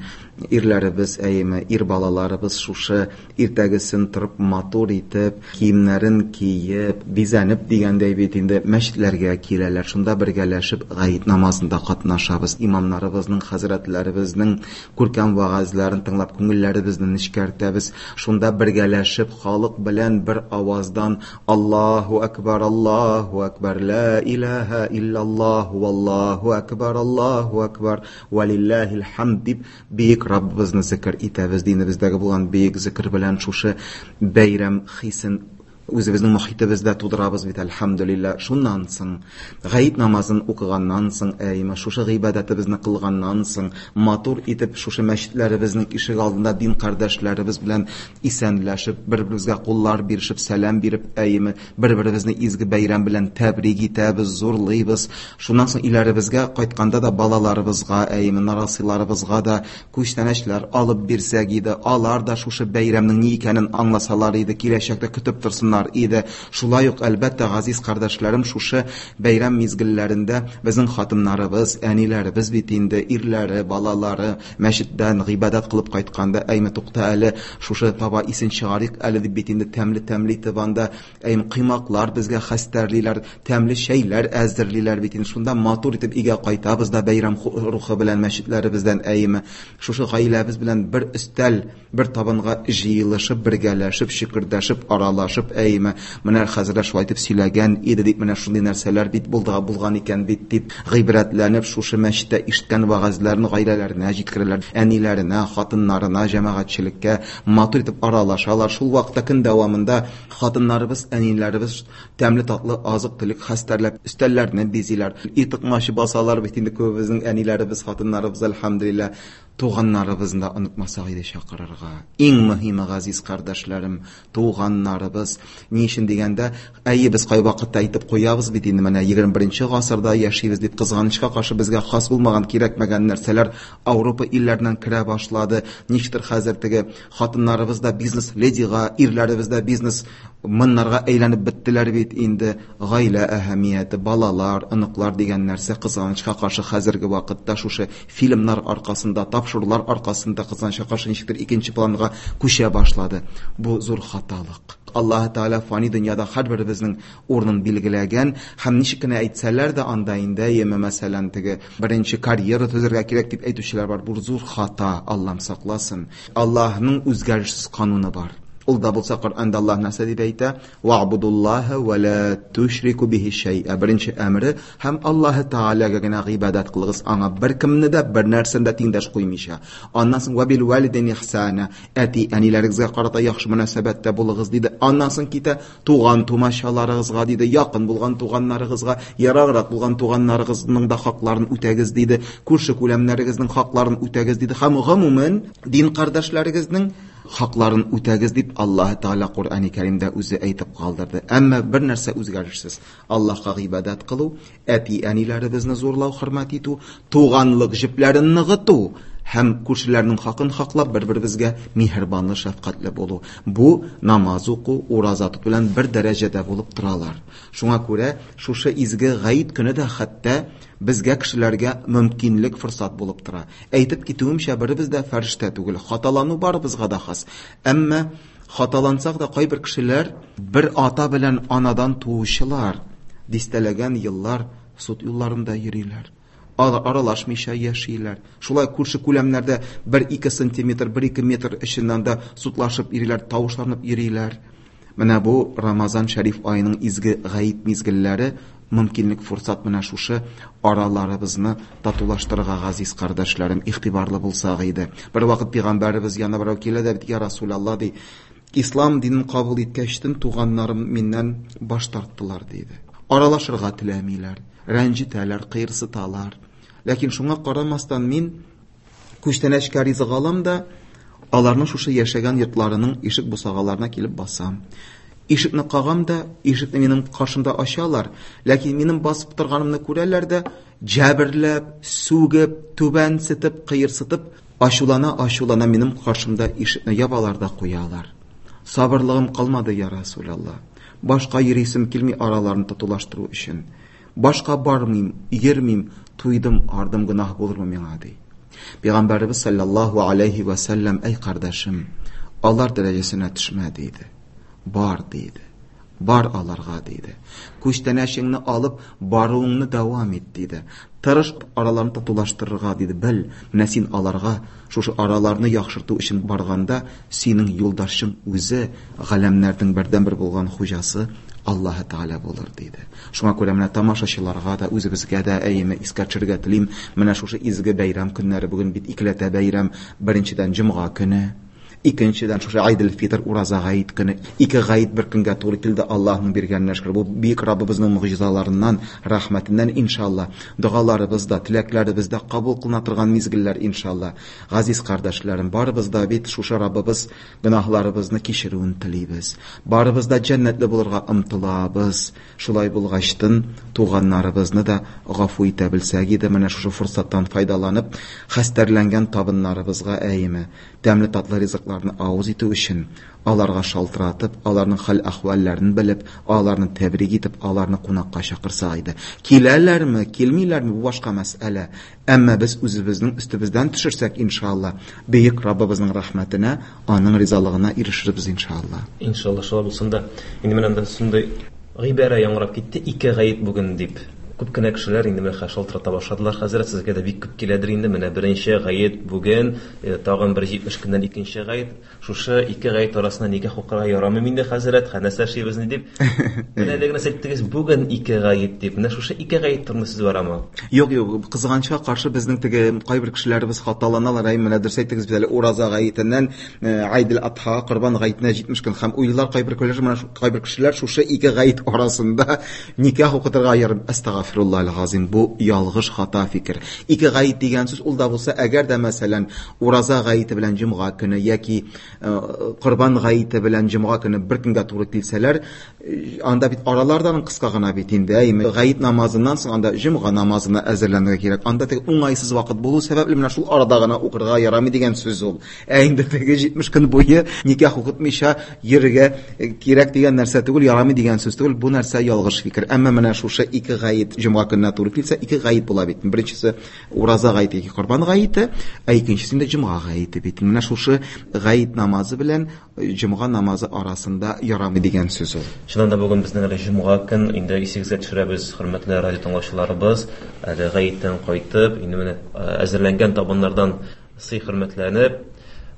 ирләребез, әйме, ир балаларыбыз шушы иртәгесен торып матур итеп, киемнәрен киеп, бизәнеп дигәндәй бит инде мәчетләргә киләләр. Шунда бергәләшеп гаит намазында катнашабыз. Имамнарыбызның, хәзрәтләребезнең күркәм вәгазьләрен тыңлап, күңелләребезне нечкәртәбез. Шунда бергәләшеп халык белән бер аваздан Аллаһу акбар, Аллаһу акбар, ла илаһа иллаллаһ, валлаһу акбар, Аллаһу акбар, валиллаһил хамд дип бөек Раббыбызны зикр итәбез. Динебездәге булган бөек зикр белән шушы бәйрәм хисен үзебезнең мохитебездә тудырабыз бит, әлхәмдүлилләһ. Шуннан соң гаит намазын укыганнан соң, әйме, шушы гыйбадәтебезне кылганнан соң, матур итеп шушы мәчетләребезнең ишек алдында дин кардәшләребез белән исәнләшеп, бер-беребезгә куллар бирешеп, сәлам биреп, әйме, бер-беребезне изге бәйрәм белән тәбрик итәбез, зурлыйбыз. Шуннан соң өйләребезгә кайтканда да балаларыбызга, әйме, нарасыйларыбызга да күчтәнәчләр алып бирсәк иде, алар да шушы бәйрәмнең ни икәнен аңласалар иде, киләчәктә көтеп торсыннар иде. Шулай ук, әлбәттә, газиз кардәшләрем, шушы бәйрәм мизгелләрендә безнең хатыннарыбыз, әниләребез бит инде, ирләре, балалары мәчеттән гыйбадәт кылып кайтканда, әйме, тукта әле, шушы таба исен чыгарыйк әле дип бит инде тәмле-тәмле итеп анда, әйме, коймаклар безгә хәстәрлиләр, тәмле чәйләр әзерлиләр бит инде. Шунда матур итеп өйгә кайтабыз да бәйрәм рухы белән мәчетләребездән, әйме, шушы гаиләбез белән бер өстәл, бер табынга җыелышып, бергәләшеп, шикердәшеп, аралашып, әйме, менә хәзрәт шулай итеп сөйләгән иде дип, менә шундый нәрсәләр бит булды, булган икән бит дип гыйбрәтләнеп, шушы мәчеттә ишеткән вәгазьләрне гаиләләренә җиткерәләр, әниләренә, хатыннарына, җәмәгатьчелеккә матур итеп аралашалар. Шул вакытта көн дәвамында хатыннарыбыз, әниләребез тәмле татлы азык-төлек хәстәрләп, өстәлләрне бизиләр, итыкмашы басалар бит инде күбебезнең әниләребез, хатыннарыбыз, әлхәмдүлилләһ. Туганнарыбызны да онытмасак иде чакырырга. Иң мөһиме, газиз кардәшләрем, туганнарыбыз. Ни өчен дигәндә, әйе, без кайвакытта әйтеп куябыз бит инде, менә егерме беренче гасырда яшибез дип, кызганычка каршы безгә хас булмаган, кирәкмәгән нәрсәләр Ауропа илләреннән керә башлады. Ничектер хәзер теге хатыннарыбыз да бизнес ледига, ирләребез дә бизнес мннарга әйләнеп беттеләр бит инде. Гаилә әһәмияте, балалар, оныклар дигән нәрсә кызганычка каршы хәзерге вакытта шушы фильмнар аркасында, тапшырулар аркасында кызганычка каршы ничектер икенче планга күчә башлады. Бу зур хаталык. Аллаһ Тәгалә фани дөньяда һәрберебезнең урынын билгеләгән һәм ничек кенә әйтсәләр дә анда инде, яме, мәсәлән, теге беренче карьера төзергә кирәк дип әйтүчеләр бар. Бу зур хата, Аллаһ сакласын. Аллаһның үзгәрешсез кануны бар. Ул да булса Коръәндә Аллаһ нәрсә дип әйтә? Ва'будуллаһа ва ла тушрику бихи шәй'a. Беренче әмере һәм Аллаһ Тәгаләгә генә гыйбадәт кылыгыз, аңа беркемне дә бер нәрсәне дә тиңдәш куймыйча. Аннан соң ва бил валидайни ихсана, әти әниләрегезгә карата яхшы мөнәсәбәттә булыгыз диде. Аннан соң китә туган тумачаларыгызга диде, якын булган туганнарыгызга, ераграк булган туганнарыгызның да хакларын үтәгез диде, күрше күләмнәрегезнең хакларын үтәгез диде һәм гомумән дин кардәшләрегезнең хакларын үтәгез дип Аллаһ Тәгалә Коръәни Кәримдә үзе әйтеп калдырды. Әмма бер нәрсә үзгәрешсез: Аллаһка гыйбадәт кылу, әти-әниләребезне зурлау, хөрмәт итү, туганлык җепләрен ныгыту һәм күршеләрнең хакын хаклап бер-беребезгә миһербанлы, шәфкатьле булу. Бу намаз уку, ураза тоту белән бер дәрәҗәдә булып торалар. Шуңа күрә шушы изге гает көне дә хәтта безгә, кешеләргә мөмкинлек, форсат булып тора. Әйтеп китүемчә, беребез дә фәрештә түгел. Хаталану барыбызга да хас. Әмма хаталансак да кайбер кешеләр бер ата белән анадан туучылар дистәләгән еллар суд юлларында йөриләр. Аралашмыйча яшиләр. Шулай күрше күләмнәрдә бер-ике сантиметр, бер-ике метр эченнән дә судлашып йөриләр, тавышланып йөриләр. Менә бу Рамазан шәриф аеның изге гает мизгелләре мөмкинлек, форсат менә шушы араларыбызны татулаштырырга, газиз кардәшләрем, игътибарлы булсак иде. Бер вакыт пәйгамбәребез янына берәү килә дә бит, я Расулалла ди, ислам динен кабул иткәчтен туганнарым миннән баш тарттылар диде. Аралашырга теләмиләр, рәнҗетәләр, кыерсыталар. Ләкин шуңа карамастан мин күчтәнәчкә ризык алам да аларның шушы яшәгән йортларының ишек бусагаларына килеп басам. Ишекне кагам да, ишекне минем каршымда ачалар, ләкин минем басып торганымны күрәләр дә, җәберләп, сүгеп, түбәнсетеп, кыерсытып, ачулана-ачулана минем каршымда ишекне ябалар да куялар. Сабырлыгым калмады, я Расулалла. Башка йөрисем килми араларын татулаштыру өчен. Башка бармыйм, йөрмим, туйдым, ардым, гөнаһ булырмы миңа ди. Пәйгамбәребез саллаллаһу алейхи ва саллям, әй кардәшем, алар дәрәҗәсенә төшмә диде. Бар диде. Бар аларга диде. Күчтәнәчеңне алып баруыңны дәвам ит диде. Тырыш араларны татулаштырырга диде. Бел, менә син аларга шушы араларны яхшырту өчен барганда синең юлдашың үзе галәмнәрнең бердәнбер булган хуҗасы Аллаһ Тәгалә булыр диде. Шуңа күрә менә тамашачыларга да, үзебезгә дә әйеме искә төшерергә телим. Менә шушы изге бәйрәм көннәре бүген бит икеләтә бәйрәм. Беренчедән җомга көне, икенчедән шушы Айдел Фитр ураза гает көне. Ике гает бер көнгә туры килде, Аллаһның биргәненә шөкер. Бу бөек Раббыбызның могҗизаларыннан, рәхмәтеннән иншалла. Догаларыбыз да, теләкләребез дә кабул кылына торган мизгелләр иншалла. Газиз кардәшләрем, барыбыз да бит шушы Раббыбыз гөнаһларыбызны кичерүен телибез. Барыбыз да җәннәтле булырга омтылабыз. Шулай булгачтын туганнарыбызны да гафу итә белсәк иде, менә шушы форсаттан файдаланып, хәстәрләнгән табыннарыбызга әйеме тәмле татлы ризыкларны авыз итү өчен аларга шалтыратып, аларның хәл-әхвәлләрен белеп, аларны тәбрик итеп, аларны кунакка чакырсак иде. Киләләрме, килмиләрме, бу башка мәсьәлә. Әмма без үзебезнең өстебездән төшерсәк, иншалла, бөек Раббыбызның рәхмәтенә, аның ризалыгына ирешербез иншалла. Иншалла, шулай булсын да. Инде менә анда шундый гыйбарә яңгырап китте, ике гает бүген дип. Күп кенә кешеләр инде менә шалтырата башладылар. Хәзрәт, сезгә дә бик күп киләдер инде. Менә беренче гает бүген, тагын бер җитмеш көннән икенче гает. Шушы ике гает арасында никах укырга ярамый инде, хәзрәт, нәрсә эшлибез ни дип. Менә әле генә әйттегез, бүген ике гает дип. Менә шушы ике гает турында сүз барамы? Юк, юк, кызганычка каршы безнең теге кайбер кешеләребез хаталаналар. Әй, менә дөрес әйттегез, без әле ураза гаетеннән Айдел Адха, Корбан гаетенә җитмеш көн һәм уйлар кайбер кешеләр, менә кайбер кешеләр шушы ике гает арасында никах укытырга ярым. Әстәгъфируллаһ аль-газим, бу ялгыш хата фикер. Ике гает дигән сүз ул да булса, әгәр дә мәсәлән ураза гаете белән җомга көне яки Корбан гаете белән җомга көне бер көнгә туры килсәләр, анда бит аралардан кыска гына бит инде. Әйме, гает намазыннан соң анда җомга намазына әзерләнергә кирәк. Анда теге уңайсыз вакыт булу сәбәпле менә шул арада гына укырга ярамый дигән сүз ул. Ә инде теге җитмеш көн буе никах укытмыйча йөрергә кирәк дигән нәрсә түгел, ярамый дигән сүз түгел. Бу нәрсә ялгыш фикер. Әмма менә шушы ике гает җомга көненә туры килсә, ике гает була бит. Беренчесе ураза гаете, яки Корбан гаете, ә икенчесе инде җомга гаете бит. Менә шушы гает намазы белән җомга намазы арасында ярамый дигән сүз ул. Чыннан да бүген безнең әле җомга көн, инде исегезгә төшерәбез, хөрмәтле радио тыңлаучыларыбыз, әле гаеттән кайтып, инде менә әзерләнгән табыннардан сый хөрмәтләнеп,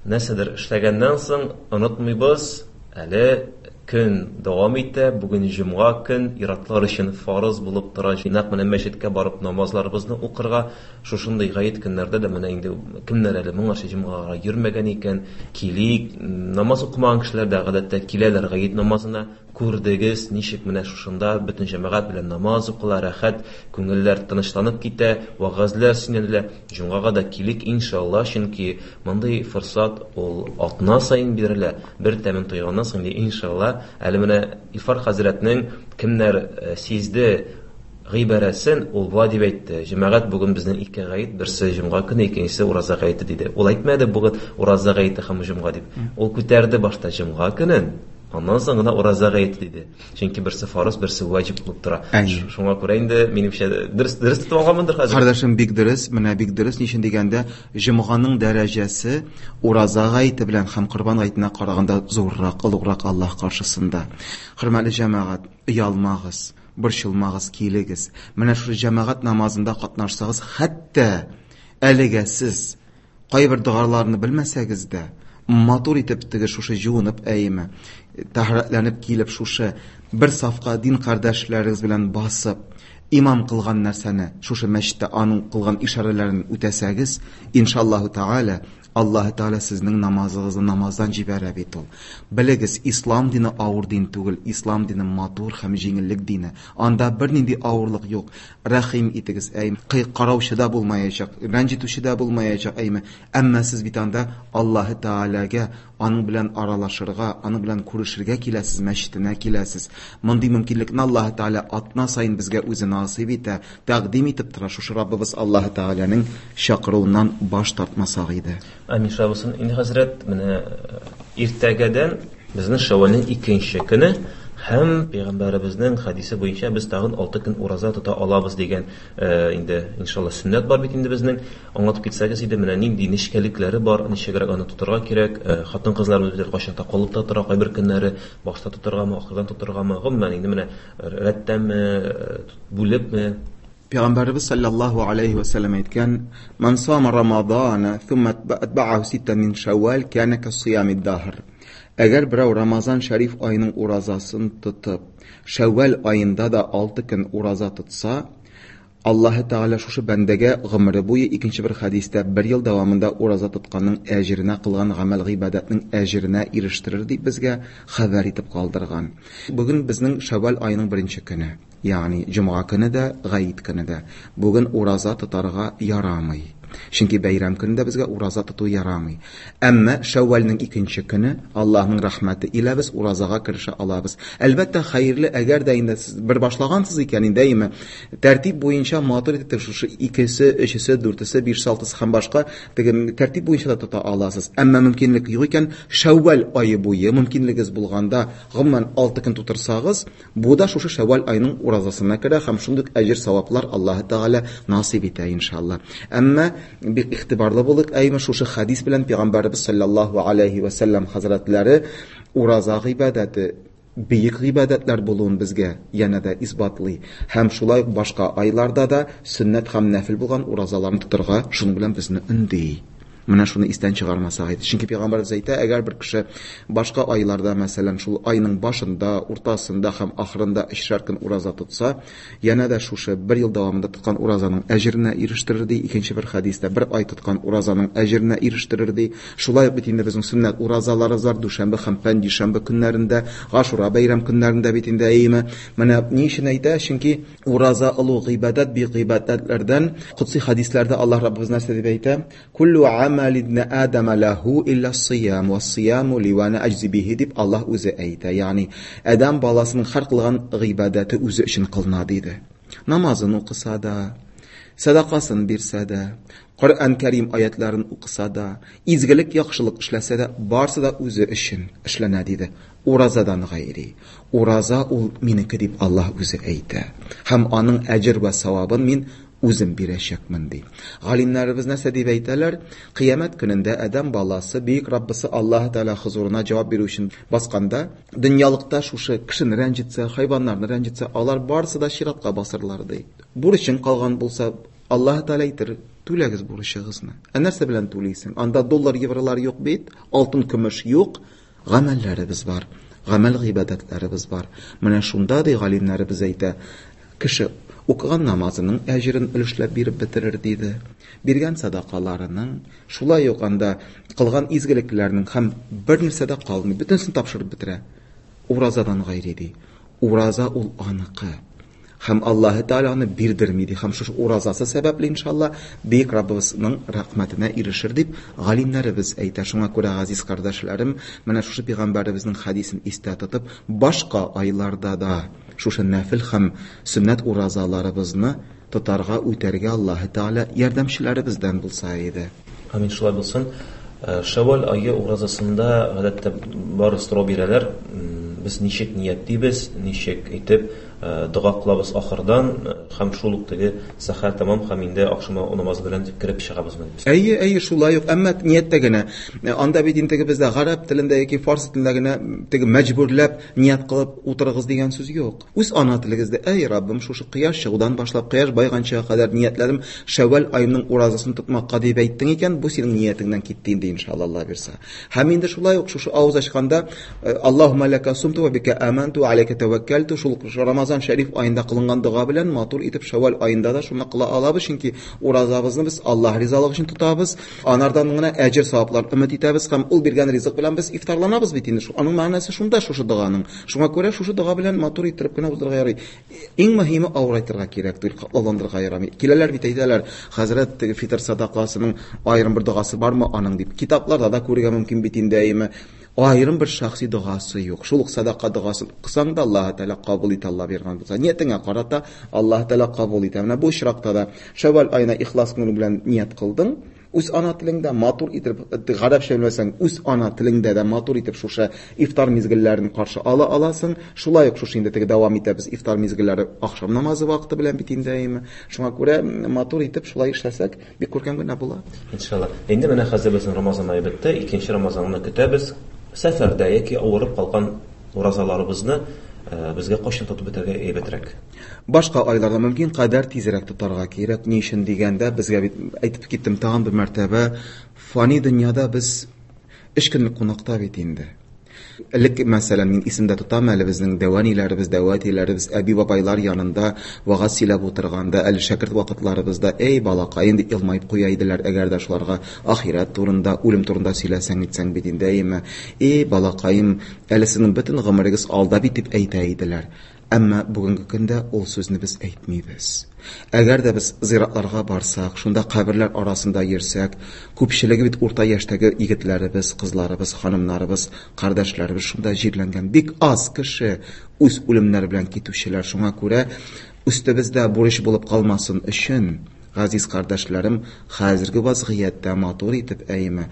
нәрсәдер эшләгәннән соң онытмыйбыз, Әле көн дәвам итә. Бүген җомга көн, ир-атлар өчен фарыз булып тора. Нәкъ менә мәчеткә барып намазларыбызны укырга. Шушындый гает көннәрдә дә менә инде кемнәр әле моңарчы җомгага йөрмәгән икән, килик. Намаз укымаган кешеләр дә гадәттә киләләр гает намазына. Күрдегез, ничек менә шушында бөтен җәмәгать белән намаз укыла, рәхәт, күңелләр тынычланып китә, вәгазьләр сөйләнелә. Җомгага да килик иншалла, чөнки мондый форсат ул атна саен бирелә. Бер тәмен тойганнан соң иншалла. Әле менә Илфар хәзрәтнең кемнәр сизде гыйбарәсен, ул болай дип әйтте: җәмәгать, бүген безнең ике гает, берсе җомга көне, икенчесе ураза гаете диде. Ул әйтмәде бүген ураза гаете һәм җомга дип. Ул күтәрде башта җомга көнен, аннан соң гына ураза гаете диде. Чөнки берсе фарыз, берсе ваҗиб булып тора. Шуңа күрә инде минемчә дөрес, дөрес тотып алганмындыр хәзер. Кардәшем, бик дөрес, менә бик дөрес. Ни өчен дигәндә, җомганың дәрәҗәсе ураза гаете белән һәм корбан гаетенә караганда зуррак, олуграк Аллаһ каршысында. Хөрмәтле җәмәгать, оялмагыз, борчылмагыз, килегез. Менә шул җәмәгать намазында катнашсагыз, хәтта әлегә сез кайбер догаларны белмәсәгез дә, матур итеп теге шушы җуынып, әйеме, тәһарәтләнеп килеп шушы бер сафка дин кардәшләрегез белән басып, имам кылган нәрсәне, шушы мәчеттә аның кылган ишарәләрен үтәсәгез, иншаллаһу тааля, Аллаһ Тааля сезнең намазыгызны намаздан җибәрә бит ул. Белегез, ислам дине авыр дин түгел, ислам дине матур һәм җиңеллек дине. Анда бернинди авырлык юк. Рәхим итегез, әйме, караучы да булмаячак, рәнҗетүче дә булмаячак, әйме. Әмма сез бит анда Аллаһ Тааляга, аның белән аралашырга, аның белән күрешергә киләсез, мәчетенә киләсез. Мондый мөмкинлекне Аллаһ Тааля атна саен безгә үзе насыйп итә, тәкъдим итеп тора. Шушы Раббыбыз Аллаһ Тааляның чакыруыннан баш тартмасак иде. Амин шабысын. Инде хәзрәт, менә иртәгәдән безнең Шәввәлнең икенче көне һәм пәйгамбәребезнең хадисе буенча без тагын алты көн ураза тота алабыз дигән, инде иншалла сөннәт бар бит инде безнең. Аңлатып китсәгез иде, менә нинди нечкәлекләре бар, ничегрәк аны тотарга кирәк, хатын-кызларыбыз бит кайчан та калып та тора, кайбер көннәре башта тотаргамы, ахырдан тотаргамы, гомумән инде менә рәттәнме, бүлепме? Пәйгамбәребез саллаллаһу алейхи ва саллям әйткән: "Ман сама Рамазана thumma atba'ahu ситта мин Шәввәл кана касиями даһр." Әгәр берәү Рамазан шәриф аеның уразасын тотып, Шәввәл аенда да алты көн ураза тотса, Аллаһ Тааля шушы бәндәгә гомере буе, икенче бер хадистә, бер ел дәвамында ураза тотканның әҗеренә, кылган гамәл гыйбадәтнең әҗеренә ирештерер дип безгә хәбәр итеп калдырган. Бүген безнең Шәввәл аеның беренче көне, ягъни җомга көне дә, гает көне дә. Бүген ураза тотарга ярамый. Чөнки бәйрәм көнендә безгә ураза тоту ярамый. Әмма Шәввәлнең икенче көне Аллаһның рәхмәте илә без уразага керешә алабыз. Әлбәттә, хәерле, әгәр дә инде сез бер башлагансыз икән, инде әйме, тәртип буенча матур итеп шушы икесе, өчесе, дүртесе, бишесе, алтысы һәм башка теге тәртип буенча да тота аласыз. Әмма мөмкинлек юк икән, Шәввәл ае буе мөмкинлегегез булганда, гомумән алты көн тутырсагыз, бу да шушы Шәввәл аеның уразасына керә һәм шундый әҗер саваплар Аллаһ Тәгалә насыйп итә иншалла. Әмма бик игътибарлы булыйк, әйме, шушы хадис белән пәйгамбәребез саллаллаһу алейхи ва саллям хәзрәтләре ураза гыйбадәте бөек гыйбадәтләр булуын безгә янә дә исбатлый. Һәм шулай ук башка айларда да сөннәт һәм нәфил булган уразаларны тотарга шуның белән безне өнди. Менә шуны истән чыгармасак иде. Чөнки пәйгамбәребез әйтә, әгәр бер кеше башка айларда, мәсәлән, шул айның башында, уртасында һәм ахырында өчәр көн ураза тотса, янә дә шушы бер ел дәвамында тоткан уразаның әҗеренә ирештерер ди. Икенче бер хадистә бер ай тоткан уразаның әҗеренә ирештерер ди. Шулай ук бит инде безнең сөннәт уразаларыбыз бар, дүшәмбе һәм пәнҗешәмбе көннәрендә, Гашура бәйрәм көннәрендә бит инде әйеме. Менә ни өчен әйтә? Чөнки ураза олуг гыйбадәт, бик гыйбадәтләрдән. Кудси хадисләрдә Аллаһ Раббыбыз нәрсә дип әйтә? Куллу амал ибн Адам лаху илля сиям ва сияму ли ва ана аҗзи бихи дип Аллаһ үзе әйтә. Ягъни Адам баласының һәр кылган гыйбадәте үзе өчен кылына диде. Намазын укыса да, садакасын бирсә дә, Коръән Кәрим аятларын укыса да, изгелек, яхшылык эшләсә дә, барсы да үзе өчен эшләнә диде. Уразадан гайри. Ураза ул минеке дип Аллаһ үзе әйтә. Һәм аның әҗер вә савабын мин үзем бирәчәкмен ди. Галимнәребез нәрсә дип әйтәләр? Кыямәт көнендә Адәм баласы бөек Раббысы Аллаһ Тәгалә хозурына җавап бирү өчен басканда, дөньялыкта шушы кешене рәнҗетсә, хайваннарны рәнҗетсә, алар барысы да чиратка басырлар ди. Бурычың калган булса, Аллаһ Тәгалә әйтер, түләгез бурычыгызны. Ә нәрсә белән түлисең? Анда доллар, евролар юк бит, алтын, көмеш юк, гамәлләребез бар. гамәл гыйбадәтләребез бар. Менә шунда ди галимнәребез әйтә, кеше укыган намазының әҗерен өлешләп биреп бетерер диде. Биргән садакаларының, шулай ук анда кылган изгелекләренең һәм бер нәрсә дә калмый, бөтенсен тапшырып бетерә. Уразадан гайре ди. Ураза ул аныкы. Һәм Аллаһы Тәгалә аны бирдерми ди. Һәм шушы уразасы сәбәпле иншалла бөек Раббыбызның рәхмәтенә ирешер дип галимнәребез әйтә. Шуңа күрә, газиз кардәшләрем, менә шушы пәйгамбәребезнең хәдисен истә тотып, башка айларда да шушы нәфил һәм сөннәт уразаларыбызны тотарга, үтәргә Аллаһы Тәгалә ярдәмчеләребездән булса иде. Амин, шулай булсын. Шәввәл ае уразасында гадәттә бары сорау бирәләр. Без ничек ниятлибез, ничек итеп дога кылабыз ахырдан һәм шул ук теге сәхәр тәмам һәм инде ахшам намазы белән кереп чыгабызмы? Әйе, әйе, шулай ук, әмма нияттә генә. Анда бит инде бездә гарәп телендә яки фарсы телендә генә теге мәҗбүрләп ният кылып утырыгыз дигән сүз юк. Үз ана телегездә, әй Раббым, шушы кояш чыгудан башлап кояш байганчага кадәр ниятләдем, Шәввәл аеның уразасын тотмакка дип әйттең икән, бу синең ниятеңнән китте инде иншалла, Алла бирсә. Һәм инде шулай ук шушы авыз ачканда Аллаһумма лака сумту ва бика аманту ва алейка таваккалту, шул Рамазан шәриф аенда кылынган дога белән матур итеп Шәввәл аенда да шуны кыла алабыз, чөнки уразабызны без Аллаһ ризалыгы өчен тотабыз, анардан гына әҗер саваплар өмет итәбез һәм ул биргән ризык белән без ифтарланабыз бит инде. Аның мәгънәсе шунда, шушы доганың. Шуңа күрә шушы дога белән матур итеп кенә уздырырга ярый. Иң мөһиме авырайтырга кирәк түгел, катлауландырырга ярамый. Киләләр бит, әйтәләр, хәзрәт, теге фитр садакасының аерым бер догасы бармы аның дип. Китапларда да күрергә мөмкин бит инде, әйеме? Аерым бер шәхси догасы юк. Шул ук садака догасын кылсаң да Аллаһ Тәгалә кабул итә, Алла биргән булса. Ниятеңә карата Аллаһ Тәгалә кабул итә. Менә бу очракта да Шәввәл аена ихлас күңел белән ният кылдың, үз ана телеңдә матур итеп, гарәпчә белмәсәң, үз ана телеңдә дә матур итеп шушы ифтар мизгелләрен каршы ала аласың. Шулай ук шушы инде теге дәвам итәбез ифтар мизгелләре ахшам намазы вакыты белән бит инде, әйеме? Шуңа күрә матур итеп шулай эшләсәк, бик күркәм генә була. Иншалла. Инде менә хәзер безнең Рамазан ае бетте, икенче Рамазанны көтәбез. Сәфәрдә яки авырып калган уразаларыбызны безгә кайчан тотып бетәргә әйбәтрәк? Башка айларда мөмкин кадәр тизрәк тотарга кирәк. Ни өчен дигәндә, безгә бит әйтеп киттем тагын бер мәртәбә, фани дөньяда без өч көнлек кунакта бит инде. Элек, мәсәлән, мин исемдә тотам әле безнең дәваниләребез, дәватиләребез, әби-бабайлар янында вагаз сөйләп утырганда, әле шәкерт вакытларыбызда, эй балакай, инде елмаеп куя иделәр, әгәр дә шуларга ахирәт турында, үлем турында сөйләсәң, итсәң бит инде, әйеме? Эй балакаем, әле сезнең бөтен гомерегез алда бит дип әйтә иделәр. Әмма бүгенге көндә ул сүзне без әйтмибез. Әгәр дә без зиратларга барсак, шунда каберләр арасында йөрсәк, күпчелеге бит урта яшьтәге егетләребез, кызларыбыз, ханымнарыбыз, кардәшләребез шунда җирләнгән. Бик аз кеше үз үлемнәре белән китүчеләр. Шуңа күрә өстебездә бурыч булып калмасын өчен, газиз кардәшләрем, хәзерге вазгыятьтә матур итеп, әйеме,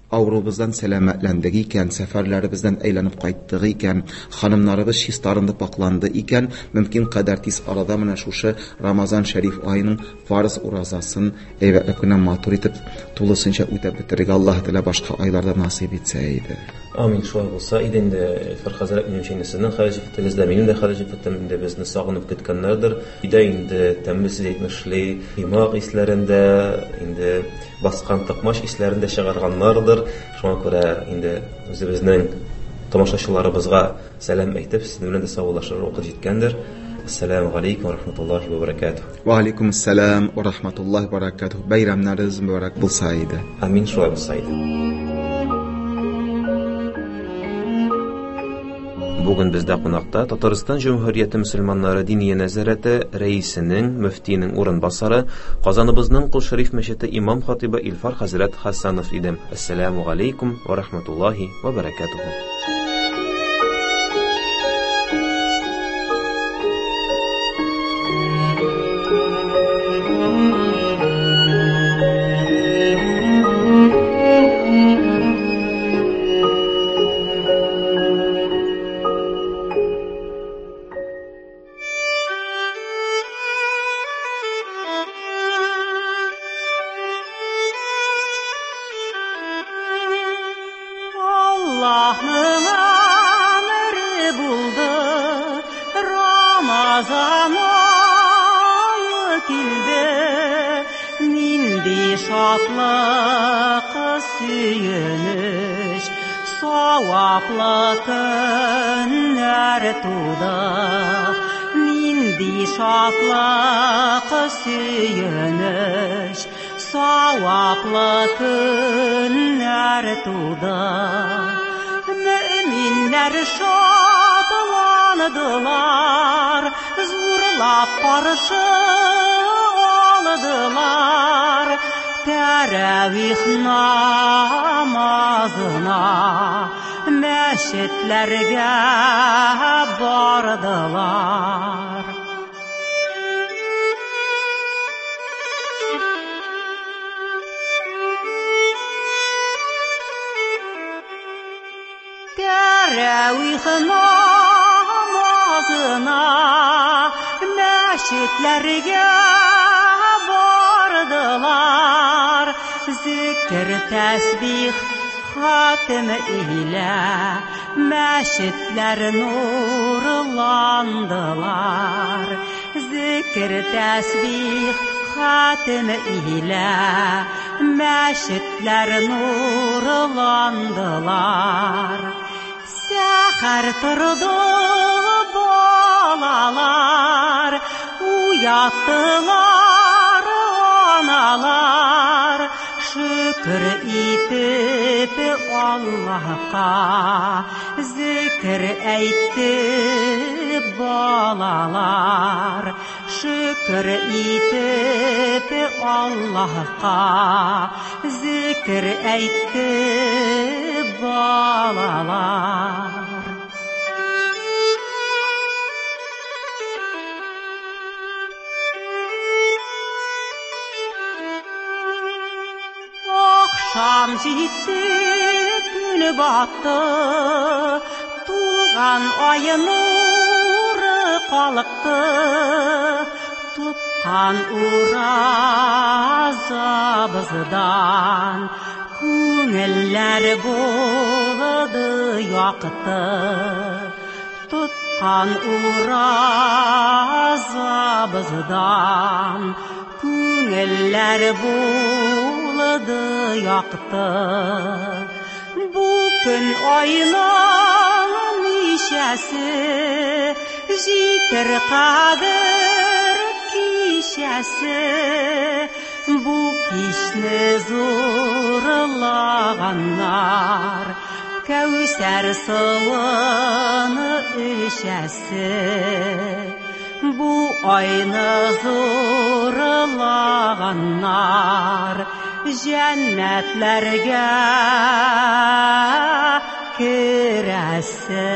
авыруыбыздан сәламәтләндек икән, сәфәрләребездән әйләнеп кайттык икән, ханымнарыбыз чистарынды, пакланды икән, мөмкин кадәр тиз арада менә шушы Рамазан шәриф аеның фарыз уразасын әйбәтләп кенә матур итеп тулысынча үтәп бетерергә Аллаһ Тәгалә башка айларда насыйп итсә иде. Амин, шулай булса иде инде, Илфар хәзрәт, минемчә инде сезнең хәлифәтегез дә, минем дә хәлифәтем инде безне сагынып көткәннәрдер. Өйдә инде тәмле сүз әйтмешли, коймак исләрендә, инде баскан токмач исләрендә чыгарганнардыр. Шуңа күрә инде үзебезнең тамашачыларыбызга сәлам әйтеп, сезнең белән дә саубуллашыр вакыт җиткәндер. Ассаламу алейкум ва рахматуллахи ва баракатух. Ва алейкум ассалам ва рахматуллахи ва баракатух. Бәйрәмнәрегез мөбарәк булса иде. Амин, шулай булса иде. Бүген бездә кунакта Татарстан Җөмһүрияте мөселманнары Диния нәзарәте рәисенең, мөфтинең урынбасары, Казаныбызның Кол Шәриф мәчете имам хатибы Илфар хәзрәт Хәсәнов иде. Ассаламу алейкум ва рахматуллахи ва баракатух. Allah'ın emri buldu, Ramazan ayı kildi, nindi şatlıq söyünüş, Саваплы көннәр туды, нинди шатлык, сөенеч, саваплы көннәр туды. Мөэминнәр шатландылар, зурлап каршы алдылар. Тәравих намазына мәчетләргә бардылар. Тәравих намазына мәчетләргә бардылар. Зикр, тәсбих, хатим илә мәчетләр нурландылар. Зикр, тәсбих, хатим илә мәчетләр нурландылар. Сәхәр торды балалар, уяттылар аналар. Шөкер итеп Аллаһка зикр әйтте балалар. Шөкер итеп Аллаһка зикр әйтте балалар. Akşam җитте, көн батты, тулган ай нуры калыкты. Тоткан уразабыздан күңелләр булды якты. Тоткан уразабыздан күңелләр булды якты. Бу көн айның ничәсе, җитер кадер кичәсе. Бу кичне зурлаганнар Кәүсәр суын эчәсе. Бу айны зурлаганнар җәннәтләргә керәсе.